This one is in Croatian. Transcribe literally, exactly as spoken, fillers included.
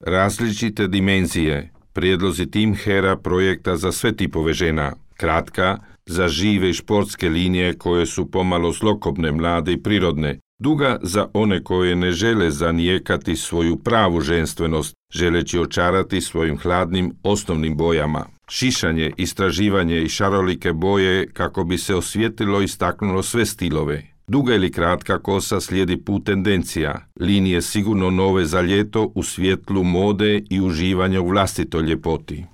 Različite dimenzije, prijedlozi Tim Hera projekta za sve tipove žena. Kratka, za žive i športske linije koje su pomalo zlokobne, mlade i prirodne. Duga za one koje ne žele zanijekati svoju pravu ženstvenost, želeći očarati svojim hladnim osnovnim bojama. Šišanje, istraživanje i šarolike boje kako bi se osvijetlilo i istaknulo sve stilove. Duga ili kratka kosa slijedi put tendencija, linije sigurno nove za ljeto u svjetlu mode i uživanja u vlastitoj ljepoti.